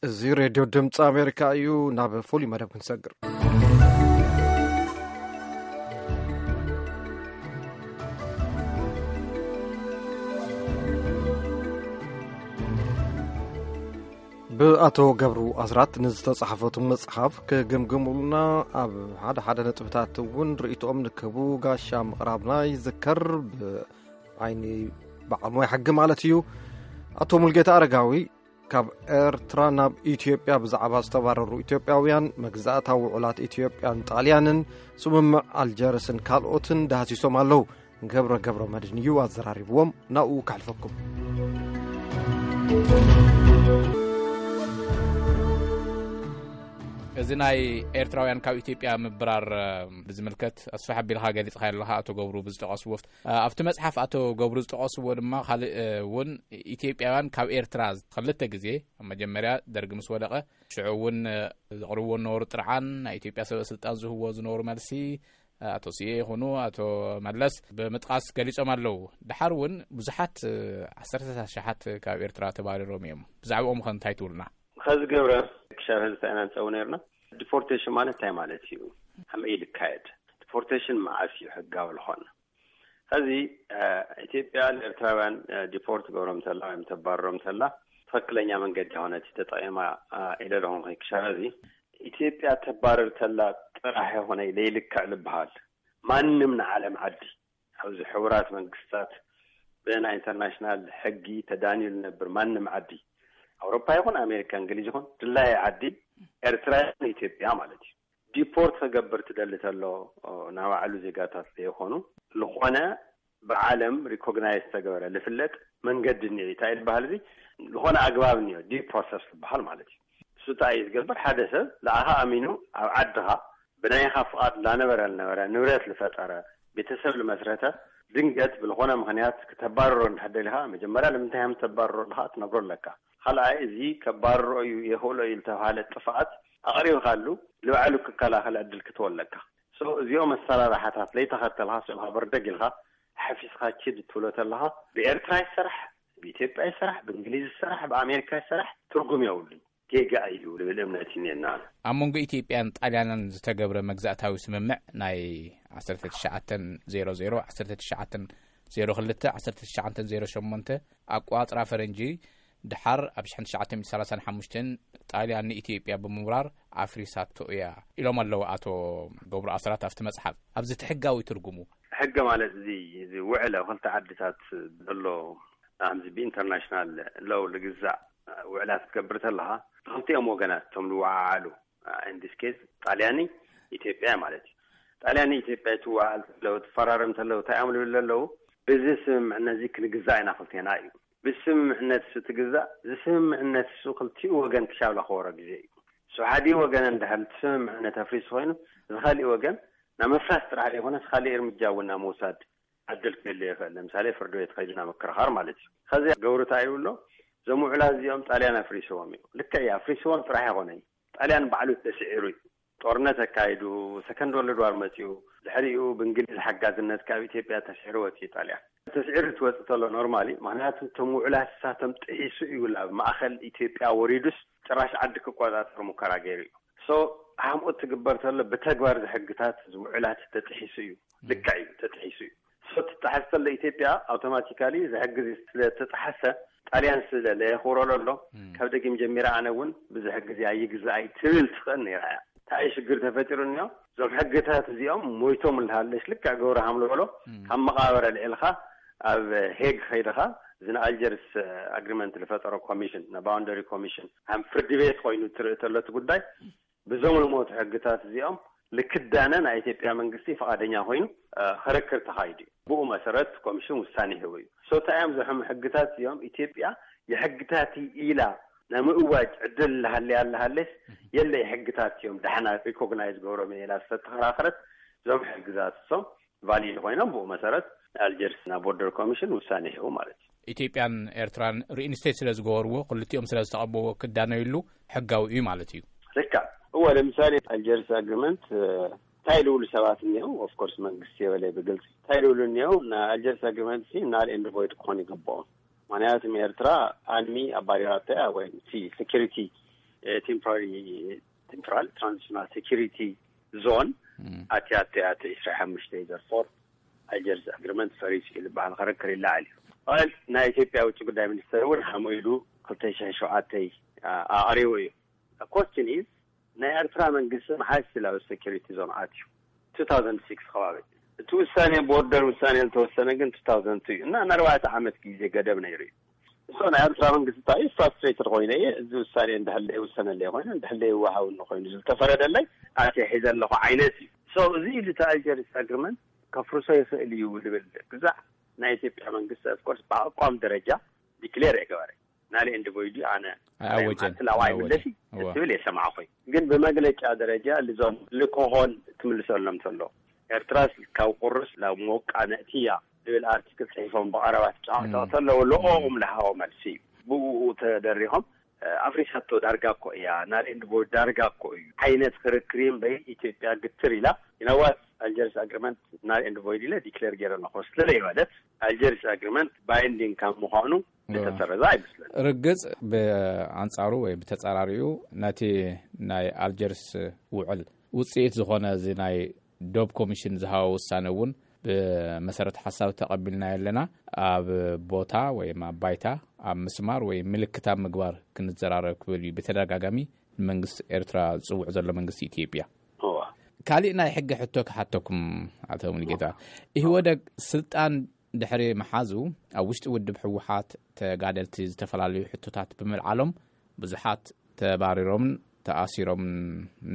እዚ ሬድዮ ድምፂ ኣሜሪካ እዩ። ናብ ፍሉይ መደብ ክንሰግር። ብኣቶ ገብሩ ኣስራት ንዝተጻሕፈቱ መጽሓፍ ክግምግሙልና ኣብ ሓደ ሓደ ነጥብታት እውን ርእይቶኦም ንክህቡ ጋሻ ምቕራብና ይዝከር። ብዓይኒ በዓል ሞያ ሕጊ ማለት እዩ። ኣቶ ሙልጌታ ኣረጋዊ ካብ ኤርትራ ናብ ኢትዮጵያ ብዛዕባ ዝተባረሩ ኢትዮጵያውያን፣ መግዛእታዊ ውዕላት ኢትዮጵያን ጣልያንን፣ ስምምዕ ኣልጀርስን ካልኦትን ዳህሲሶም ኣለዉ። ገብረ ገብረ መድህን እዩ ኣዘራሪብዎም። ናብኡ ከሕልፈኩም። እዚ ናይ ኤርትራውያን ካብ ኢትዮጵያ ምብራር ብዝምልከት ኣስፍሕ ኣቢልካ ገሊጽካ ኣለኻ ኣቶ ገብሩ ብዝጠቐስዎ። ኣብቲ መጽሓፍ ኣቶ ገብሩ ዝጠቐስዎ ድማ ካልእ እውን ኢትዮጵያውያን ካብ ኤርትራ ክልተ ግዜ፣ ኣብ መጀመርያ ደርጊ ምስ ወደቐ፣ ሽዑ እውን ዘቕርብዎ ዝነበሩ ጥርዓን፣ ናይ ኢትዮጵያ ሰበ ስልጣን ዝህብዎ ዝነበሩ መልሲ፣ ኣቶ ስየ ይኹኑ ኣቶ መለስ ብምጥቃስ ገሊጾም ኣለዉ። ድሓር እውን ብዙሓት ዓሰርተ ኣሽሓት ካብ ኤርትራ ተባሪሮም እዮም። ብዛዕባኦም ኸ እንታይ ትብሉና? ኸዚ ገብረ፣ ክሻብ ሕዚ እንታይ ኢና ንጸው ነርና? ዲፖርቴሽን ማለት እንታይ ማለት እዩ? ከመይ ኢሉ ይካየድ? ዲፖርቴሽን መዓስ እዩ ሕጋዊ ዝኾነ? ኸዚ ኢትዮጵያ ንኤርትራውያን ዲፖርት ገብሮም ተላ ወይም ተባረሮም ተላ፣ ትኽክለኛ መንገዲ ሆነ እቲ ተጠቂማ ኢለ ለኹም። ክሻብ ሕዚ ኢትዮጵያ ተባረር ተላ ጥራሕ ይኾነ ለይልክዕ ልበሃል። ማንም ንዓለም ዓዲ ኣብዚ ሕቡራት መንግስታት ብናይ ኢንተርናሽናል ሕጊ ተዳንዩ ዝነብር ማንም ዓዲ፣ ኣውሮፓ ይኹን ኣሜሪካ፣ እንግሊዝ ይኹን፣ ድላይ ዓዲ፣ ኤርትራ ይኹን ኢትዮጵያ ማለት እዩ፣ ዲፖርት ክገብር ትደሊ ተሎ፣ ናብ ባዕሉ ዜጋታት ዘይኮኑ፣ ዝኾነ ብዓለም ሪኮግናይዝ ተገበረ ልፍለጥ መንገዲ እኒኦ። እንታይ ዝበሃል እዚ ዝኾነ ኣግባብ እኒኦ፣ ዲው ፕሮሰስ ዝበሃል ማለት እዩ። እሱ እንታይ እዩ ዝገብር? ሓደ ሰብ ንኣኻ ኣሚኑ ኣብ ዓድኻ ብናይኻ ፍቓድ ላነበረ ልነበረ፣ ንብረት ልፈጠረ፣ ቤተሰብ ልመስረተ፣ ድንገት ብልኾነ ምኽንያት ክተባርሮ እንድሕር ደሊኻ፣ መጀመርያ ንምንታይ ከም ተባርሮ ኣለኻ ትነግሮ ኣለካ። ካልኣይ፣ እዚ ከባርሮ እዩ፣ የኽእሎ እዩ ልተባሃለ ጥፍኣት ኣቕሪብካሉ፣ ንባዕሉ ክከላኸል ዕድል ክትህቦ ኣለካ። ሶ እዚኦም ኣሰራርሓታት ለይተኸተልካ፣ ስምካ በርደግ ኢልካ ሓፊስካ ኪድ ትብሎ ተለኻ፣ ብኤርትራ ይሰራሕ፣ ብኢትዮጵያ ይሰራሕ፣ ብእንግሊዝ ይሰራሕ፣ ብኣሜሪካ ይሰራሕ፣ ትርጉም የብሉን። ጌጋ እዩ ልብል እምነት እኒአና። ኣብ መንጎ ኢትዮጵያን ጣልያንን ዝተገብረ መግዛእታዊ ስምምዕ ናይ ዓሰርተ ትሽዓተ ዜሮ ዜሮ፣ ዓሰርተ ትሽዓተ ዜሮ ክልተ፣ ዓሰርተ ትሽዓተ ዜሮ ሸሞንተ ኣቋጽራ ፈረንጂ፣ ድሓር ኣብ ሽሕን ትሽዓተ ሚእትን ሰላሳን ሓሙሽተን ጣልያን ንኢትዮጵያ ብምውራር ኣፍሪሳቶ እያ ኢሎም ኣለዉ ኣቶ ገብሩ ኣስራት ኣብቲ መጽሓፍ። ኣብዚ እቲ ሕጋዊ ትርጉሙ? ሕገ ማለት እዚ፣ እዚ ውዕል ኣብ ክልተ ዓድታት ዘሎ፣ ከምዚ ብኢንተርናሽናል ሎው ልግዛእ ውዕላት ክትገብር ተለኻ፣ ክልቲኦም ወገናት እቶም ዝወዓዓሉ፣ ኢን ዲስ ኬዝ ጣልያኒ ኢትዮጵያ ማለት እዩ። ጣልያኒ ኢትዮጵያ ትወዓል ተለው፣ ትፈራረም ተለው፣ እንታይ እዮም ዝብሉ ኣለዉ? ብዚ ስምምዕነት እዚ ክንግዛእ ኢና ክልቴና እዩ። ብስምምዕነት እሱ ትግዛእ፣ እዚ ስምምዕነት እሱ ክልቲኡ ወገን ክሻብ ለኸበሮ ግዜ እዩ። እሱ ሓዲኡ ወገን እንድሕር እቲ ስምምዕነት ኣፍሪሱ ኮይኑ፣ እዚ ካሊእ ወገን ናብ ምፍራስ ጥራሕ ዘይኮነስ፣ ካሊእ እርምጃ እውን ናብ ምውሳድ ዕድል ክህሉ ይኽእል። ለምሳሌ ፍርዲ ቤት ከይዱ ናብ ምክርኻር ማለት እዩ። ከዚ ገብሩ እንታይ ይብሎ? እዞም ውዕላት እዚኦም ጣልያን ኣፍሪስዎም እዩ። ልክዕ እዩ፣ ኣፍሪስዎም ጥራሕ ኣይኮነን። ጣልያን ባዕሉ ተስዒሩ እዩ። ጦርነት ኣካይዱ፣ ሰከንድ ወርልድ ዋር መፂኡ፣ ድሕሪኡ ብእንግሊዝ ሓጋዝነት ካብ ኢትዮጵያ ተስዒሩ ወፂኡ ጣልያን። ተስዒሩ ትወፅእ ተሎ ኖርማሊ፣ ምክንያቱ እቶም ውዕላት ንሳቶም ጥሒሱ እዩ። ኣብ ማእኸል ኢትዮጵያ ወሪዱስ ጭራሽ ዓዲ ክቆፃፀር ሙከራ ገይሩ እዩ። ሶ፣ ሃምኡ ትግበር ተሎ ብተግባር ዝሕግታት ውዕላት ተጥሒሱ እዩ። ልክዕ እዩ፣ ተጥሒሱ እዩ። ሶ፣ ትጠሓስ ተሎ ኢትዮጵያ ኣውቶማቲካሊ እዚ ሕጊ እዚ ስለ ተጠሓሰ፣ ጣልያን ስለ ለየኽብሮ ዘሎ፣ ካብ ደጊም ጀሚረ ኣነ እውን ብዚ ሕጊ እዚ ኣይግዛእ ኣይትብል ትኽእል ነይራ እያ። እንታይ ሽግር ተፈጢሩ እኒኦ? እዞም ሕግታት እዚኦም ሞይቶም እንዳሃለሽ፣ ልክዕ ገብረሃም ዝበሎ፣ ካብ መቓብር ኣልዒልካ ኣብ ሄግ ከይድኻ፣ እዚ ንኣልጀርስ ኣግሪመንት ዝፈጠሮ ኮሚሽን፣ ንባውንደሪ ኮሚሽን፣ ከም ፍርዲ ቤት ኮይኑ ትርኢ ተሎ እቲ ጉዳይ፣ ብዞም ዝሞቱ ሕግታት እዚኦም ልክዳነ ናይ ኢትዮጵያ መንግስቲ ፈቓደኛ ኮይኑ፣ እ፣ ክርክር ተኻይዱ እዩ። ብኡ መሰረት ኮሚሽን ውሳኔ ሂቡ እዩ። ሶ እንታይ እዮም ዘሕሙ ሕግታት እዚኦም? ኢትዮጵያ የሕግታት ኢላ ንምእዋጅ ዕድል ልሃለያ ልሃለስ፣ የለ የሕግታት እዮም፣ ዳሕና ሪኮግናይዝ ገብሮም እየ ኢላ ዝተተኸራኸረት፣ እዞም ሕግታት እሶም ቫሊድ ኮይኖም፣ ብኡ መሰረት ኣልጀርስ ናብ ቦርደር ኮሚሽን ውሳኔ ሂቡ ማለት እዩ። ኢትዮጵያን ኤርትራን ሪኢንስቴት ስለ ዝገበርዎ፣ ክልቲኦም ስለ ዝተቐበዎ ክዳነዩሉ ሕጋዊ እዩ ማለት እዩ። ልክዕ። እወ፣ ለምሳሌ ኣልጀርስ ኣግሪመንት፣ እ፣ እንታይ ልብሉ ሰባት እኒአው? ኦፍኮርስ መንግስቲ የበለ ብግልፂ እንታይ ልብሉ እኒአው? ንኣልጀርስ ኣግሪመንት ሲ ናል ኤንድ ቮይድ ክኾን ይግብኦ። ምክንያቱም ኤርትራ ኣንሚ ኣባሪራቶ እያ፣ ወይ እቲ ሴኪሪቲ ቴምፖራሪ ቴምፖራል ትራንዚሽናል ሴኪሪቲ ዞን ኣትያ ኣትያ እቲ ዕስራ ሓሙሽተ ዘርፎር ኣልጀርስ ኣግሪመንት ፈሪሱ እዩ ዝበሃል ክርክር ይለዓል እዩ። ል ናይ ኢትዮጵያ ውጭ ጉዳይ ሚኒስተር እውን ሃምኡ ኢሉ ክልተ ሽሕ ሸውዓተ ኣቕሪቡ እዩ። ኮስችን ኢዝ ናይ ኤርትራ መንግስቲ መሓዝ ስላዊ ሴኪሪቲ ዞን ኣትዩ ቱ ታውዘንድ ሲክስ ከባቢ። እቲ ውሳኔ ቦርደር ውሳኔ ዝተወሰነ ግን ቱ ታውዘንድ ቱ እዩ እና ንኣርባዕተ ዓመት ግዜ ገደብ ነይሩ እዩ። እሶ ናይ ኤርትራ መንግስቲ እንታይ እዩ ፍራስትሬትድ ኮይነ እየ፣ እዚ ውሳኔ እንድሕር ዘይውሰነለይ ኮይኑ እንድሕር ዘይወሃብኒ ኮይኑ ዝተፈረደለይ ኣትየ ሒዘ ኣለኹ ዓይነት እዩ። ሶ እዚ ኢሉ እቲ ኣልጀርስ ኣግሪመንት ከፍርሶ ይኽእል እዩ ዝብል ግዛዕ ናይ ኢትዮጵያ መንግስቲ ኦፍኮርስ ብኣቋም ደረጃ ዲክሌር የገበረ ናሊ ኤንድ ቮይድ እዩ ኣነ ኣይኣወጀን። ኣትላዋ ኣይኣወጀን። ይምለሲ እወ። ትብል የሰማዕኹ። ግን ብመግለጫ ደረጃ ልዞም ልኮሆን ትምልሰሎም ተሎ ኤርትራስ ካብ ቁርስ ናብ ሞቃ ነእትያ ዝብል ኣርቲክል ጽሒፎም ብቐረባ ትጫወተው ተለዉ ልኦም ልሃቦ መልሲ እዩ። ብኡ ተደሪኾም ኣፍሪሳቶ ዳርጋ እኮ እያ ናል ኤንድ ቮይድ ዳርጋ እኮ እዩ ዓይነት ክርክር እምበይ ኢትዮጵያ ግትር ኢላ ኢናዋት ኣልጀርስ ኣግሪመንት ናል ኤንድ ቮይድ ኢለ ዲክሌር ገይረ ኣለኹ ስለ ዘይበለት ኣልጀርስ ኣግሪመንት ባይንዲንግ ካብ ምዃኑ ዝተሰረዘ ኣይመስለን። ርግጽ ብኣንጻሩ ወይ ብተጻራሪኡ ነቲ ናይ ኣልጀርስ ውዕል ውጽኢት ዝኾነ እዚ ናይ ዶብ ኮሚሽን ዝሃቦ ውሳነ እውን ብመሰረት ሓሳብ ተቐቢልናዮ ኣለና። ኣብ ቦታ ወይ ኣብ ባይታ ኣብ ምስማር ወይ ምልክት ኣብ ምግባር ክንዘራረብ ክብል እዩ ብተደጋጋሚ ንመንግስቲ ኤርትራ ዝጽውዕ ዘሎ መንግስቲ ኢትዮጵያ። እዋ። ካሊእ ናይ ሕጊ ሕቶ ክሓተኩም ኣቶ ሙሉጌታ። ኢህወደግ ስልጣን ድሕሪ መሓዙ ኣብ ውሽጢ ውድብ ህወሓት ተጋደልቲ ዝተፈላለዩ ሕቶታት ብምልዓሎም ብዙሓት ተባሪሮምን ተኣሲሮምን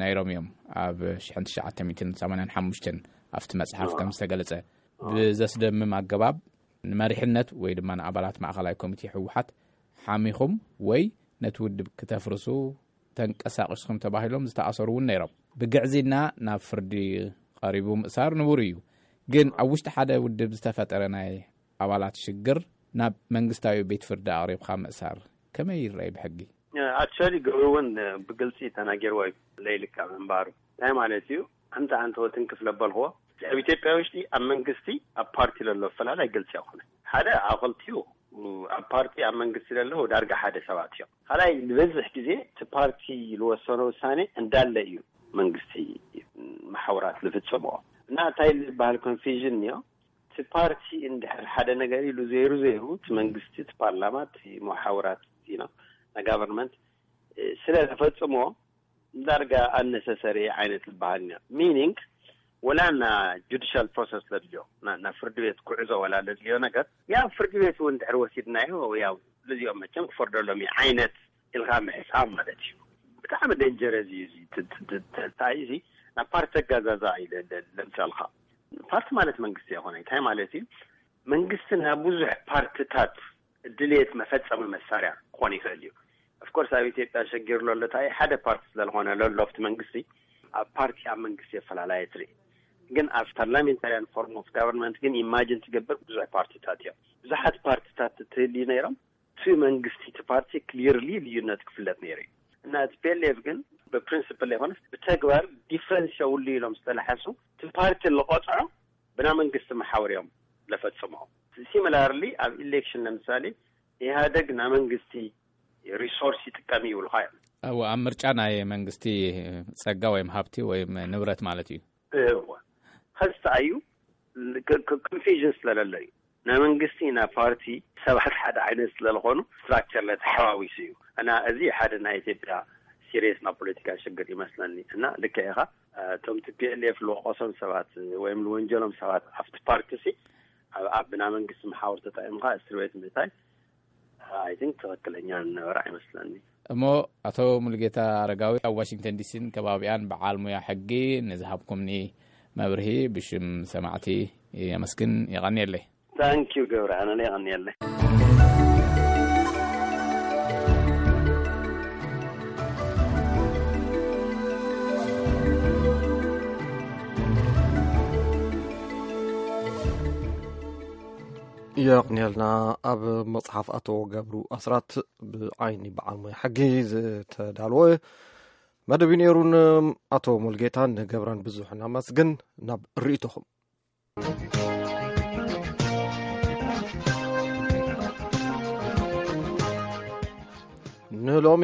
ነይሮም እዮም። ኣብ ሽሕን ትሽዓተ ሚእትን ሰማንያን ሓሙሽተን ኣብቲ መጽሓፍ ከም ዝተገለጸ ብዘስደምም ኣገባብ ንመሪሕነት ወይ ድማ ንኣባላት ማእኸላይ ኮሚቴ ህወሓት ሓሚኹም ወይ ነቲ ውድብ ክተፍርሱ ተንቀሳቒስኩም ተባሂሎም ዝተኣሰሩ እውን ነይሮም። ብግዕዝና ናብ ፍርዲ ቀሪቡ ምእሳር ንቡር እዩ። ግን ኣብ ውሽጢ ሓደ ውድብ ዝተፈጠረ ናይ ኣባላት ሽግር ናብ መንግስታዊ ቤት ፍርዲ ኣቕሪብካ ምእሳር ከመይ ይረኣይ ብሕጊ? ኣክቹዋሊ ገብሩ እውን ብግልፂ ተናጊርዎ እዩ ለይልካ ምንባሩ እንታይ ማለት እዩ? ኣንተ ኣንተ ወትንክፍ ለበልክዎ ኣብ ኢትዮጵያ ውሽጢ ኣብ መንግስቲ ኣብ ፓርቲ ለሎ ኣፈላላይ ግልፂ ኣይኮነ ሓደ ኣብ ክልቲኡ ኣብ ፓርቲ ኣብ መንግስቲ ለለዉ ዳርጋ ሓደ ሰባት እዮም። ካልኣይ ዝበዝሕ ግዜ እቲ ፓርቲ ዝወሰኖ ውሳኔ እንዳለ እዩ መንግስቲ መሓውራት ዝፍጽምኦ እና እንታይ ዝበሃል ኮንፊዥን እዮ። እቲ ፓርቲ እንድሕር ሓደ ነገር ኢሉ ዘይሩ ዘይሩ እቲ መንግስቲ እቲ ፓርላማ እቲ መሓውራት ና ጋቨርንመንት ስለ ዝፈጽሞ ዳርጋ ኣነሰሰሪ ዓይነት ዝበሃል ኢና ሚኒንግ ወላ ና ጁዲሻል ፕሮሰስ ለድልዮ ና ፍርዲ ቤት ክዕዞ ወላ ለድልዮ ነገር ያ ፍርዲ ቤት እውን ድሕር ወሲድናዮ ያው ልዚኦም መቸም ክፈርደሎም እዩ ዓይነት ኢልካ ምሕሳብ ማለት እዩ። ብጣዕሚ ደንጀረስ እዩ እዚ እንታይ እዚ ናብ ፓርቲ ተጋዛዛ እዩ ለምሳልካ ፓርቲ ማለት መንግስቲ ይኮነ እንታይ ማለት እዩ? መንግስቲ ናብ ብዙሕ ፓርትታት ድልየት መፈጸሚ መሳርያ ክኾን ይኽእል እዩ። ኦፍኮርስ ኣብ ኢትዮጵያ ሸጊር ለሎ እንታይ ሓደ ፓርቲ ስለዝኾነ ለሎ ኣብቲ መንግስቲ ኣብ ፓርቲ ኣብ መንግስቲ የፈላለየ ትርኢ ግን ኣብ ፓርላሜንታሪያን ፎርም ኦፍ ጋቨርንመንት ግን ኢማጅን ትገብር ብዙሕ ፓርቲታት እዮም። ብዙሓት ፓርቲታት ትህልዩ ነይሮም እቲ መንግስቲ እቲ ፓርቲ ክሊርሊ ልዩነት ክፍለጥ ነይሩ እዩ እና እቲ ፒኤልኤፍ ግን ብፕሪንስፕል ይኮነስ ብተግባር ዲፍረንስ የብሉ ኢሎም ዝተላሓሱ እቲ ፓርቲ ዝቆፅዖ ብና መንግስቲ መሓውር እዮም ለፈፅሞ። ሲሚላርሊ ኣብ ኢሌክሽን ለምሳሌ ኢህኣደግ ና መንግስቲ ሪሶርስ ይጥቀም ይብልካ እዮም። ኣብ ኣብ ምርጫ ናይ መንግስቲ ጸጋ ወይም ሃብቲ ወይም ንብረት ማለት እዩ። እወ ኸዚ ተኣዩ ኮንፊዥን ስለለሎ እዩ ናይ መንግስቲ ናይ ፓርቲ ሰባት ሓደ ዓይነት ስለዝኾኑ ስትራክቸር ለተሓዋዊሱ እዩ እና እዚ ሓደ ናይ ኢትዮጵያ ሲሪየስ ናይ ፖለቲካ ሽግር ይመስለኒ እና ልክዕ ኢኻ እቶም ቲ ፒ ኤል ኤፍ ልወቀሶም ሰባት ወይም ልወንጀሎም ሰባት ኣብቲ ፓርቲ ሲ ኣብ ብና መንግስቲ መሓውር ተጠቂምካ እስር ቤት ምእታይ ኣይ ቲንክ ትኽክለኛ ነበረ ኣይመስለኒ። እሞ ኣቶ ሙሉጌታ ኣረጋዊ ኣብ ዋሽንግተን ዲሲን ከባቢኣን በዓል ሙያ ሕጊ ንዝሃብኩምኒ መብርሂ ብሽም ሰማዕቲ የመስግን። የቐንየለይ። ታንኪዩ ገብረ ኣነለ የቐንየለይ። የቕንየልና። ኣብ መጽሓፍ ኣቶ ገብሩ ኣስራት ብዓይኒ በዓል ሞያ ሕጊ ዝተዳለወ መደብ እዩ ነይሩ። ንኣቶ ሙልጌታን ንገብራን ብዙሕ እናመስግን ናብ ርእይቶኹም። ንሎሚ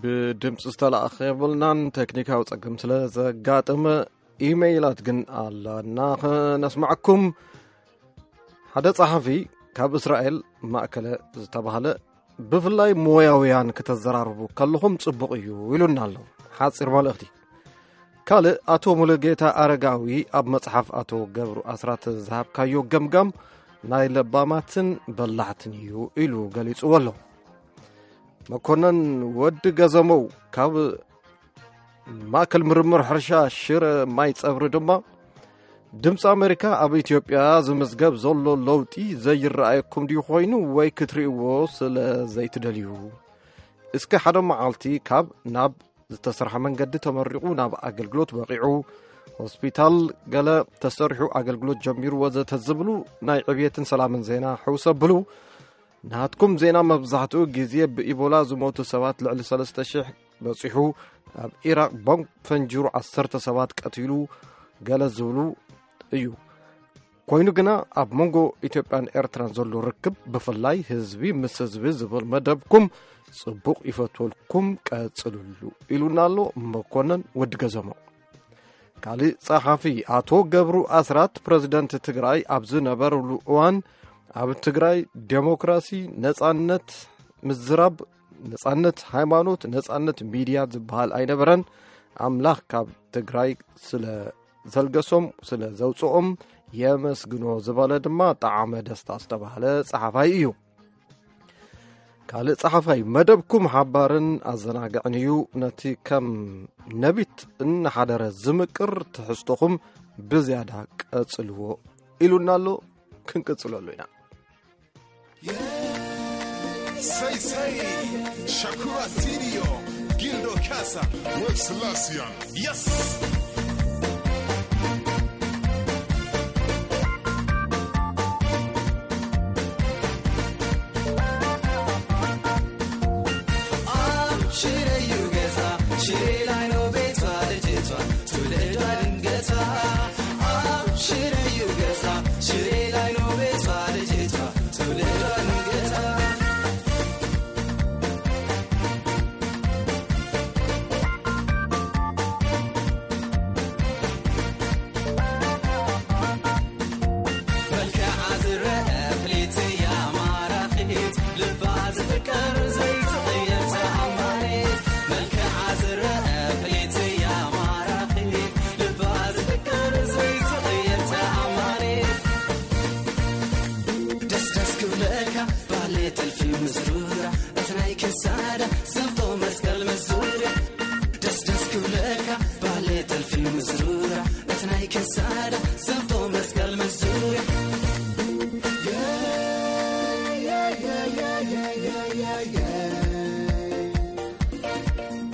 ብድምፂ ዝተላእኸ የብልናን፣ ቴክኒካዊ ፀገም ስለ ዘጋጠመ ኢሜይላት ግን ኣላና ክነስማዕኩም። ሓደ ጸሓፊ ካብ እስራኤል ማእከለ ዝተባህለ፣ ብፍላይ ሞያውያን ክተዘራርቡ ከለኹም ጽቡቕ እዩ ኢሉና ኣሎ። ሓጺር መልእኽቲ። ካልእ፣ ኣቶ ሙሉጌታ ኣረጋዊ ኣብ መጽሓፍ ኣቶ ገብሩ ኣስራት ዝሃብካዮ ገምጋም ናይ ለባማትን በላሕትን እዩ ኢሉ ገሊጽዎ ኣሎ። መኮነን ወዲ ገዘመው ካብ ማእከል ምርምር ሕርሻ ሽረ ማይ ጸብሪ ድማ፣ ድምፂ ኣሜሪካ ኣብ ኢትዮጵያ ዝምዝገብ ዘሎ ለውጢ ዘይረኣየኩም ድዩ ኮይኑ፣ ወይ ክትርእይዎ ስለ ዘይትደልዩ? እስከ ሓደ መዓልቲ ካብ ናብ ዝተሰርሐ መንገዲ ተመሪቑ ናብ ኣገልግሎት በቒዑ፣ ሆስፒታል ገለ ተሰሪሑ ኣገልግሎት ጀሚሩ ወዘተ ዝብሉ ናይ ዕብየትን ሰላምን ዜና ሕውስ ኣብሉ። ናትኩም ዜና መብዛሕትኡ ግዜ ብኢቦላ ዝሞቱ ሰባት ልዕሊ ሰለስተ ሽሕ በጺሑ፣ ኣብ ኢራቕ ቦምብ ፈንጂሩ ዓሰርተ ሰባት ቀቲሉ፣ ገለ ዝብሉ እዩ። ኮይኑ ግና ኣብ መንጎ ኢትዮጵያን ኤርትራን ዘሎ ርክብ፣ ብፍላይ ህዝቢ ምስ ህዝቢ ዝብል መደብኩም ጽቡቕ፣ ይፈትወልኩም፣ ቀጽልሉ ኢሉና ኣሎ መኮነን ወዲ ገዘሞ። ካልእ ጸሓፊ ኣቶ ገብሩ ኣስራት፣ ፕረዚደንት ትግራይ ኣብ ዝነበሩሉ እዋን፣ ኣብ ትግራይ ዴሞክራሲ፣ ነጻነት ምዝራብ፣ ነጻነት ሃይማኖት፣ ነጻነት ሚድያ ዝበሃል ኣይነበረን። ኣምላኽ ካብ ትግራይ ስለ ዘልገሶም፣ ስለ ዘውፅኦም የመስግኖ ዝበለ ድማ ጠዓመ ደስታ ዝተባህለ ጸሓፋይ እዩ። ካልእ ጸሓፋይ፣ መደብኩም ሓባርን ኣዘናግዕን እዩ። ነቲ ከም ነቢት እናሓደረ ዝምቅር ትሕዝቶኹም ብዝያዳ ቀጽልዎ ኢሉና ኣሎ። ክንቅጽለሉ ኢና። Say, say, Shakura Studio, Gildo Casa, World Selassie. Yes!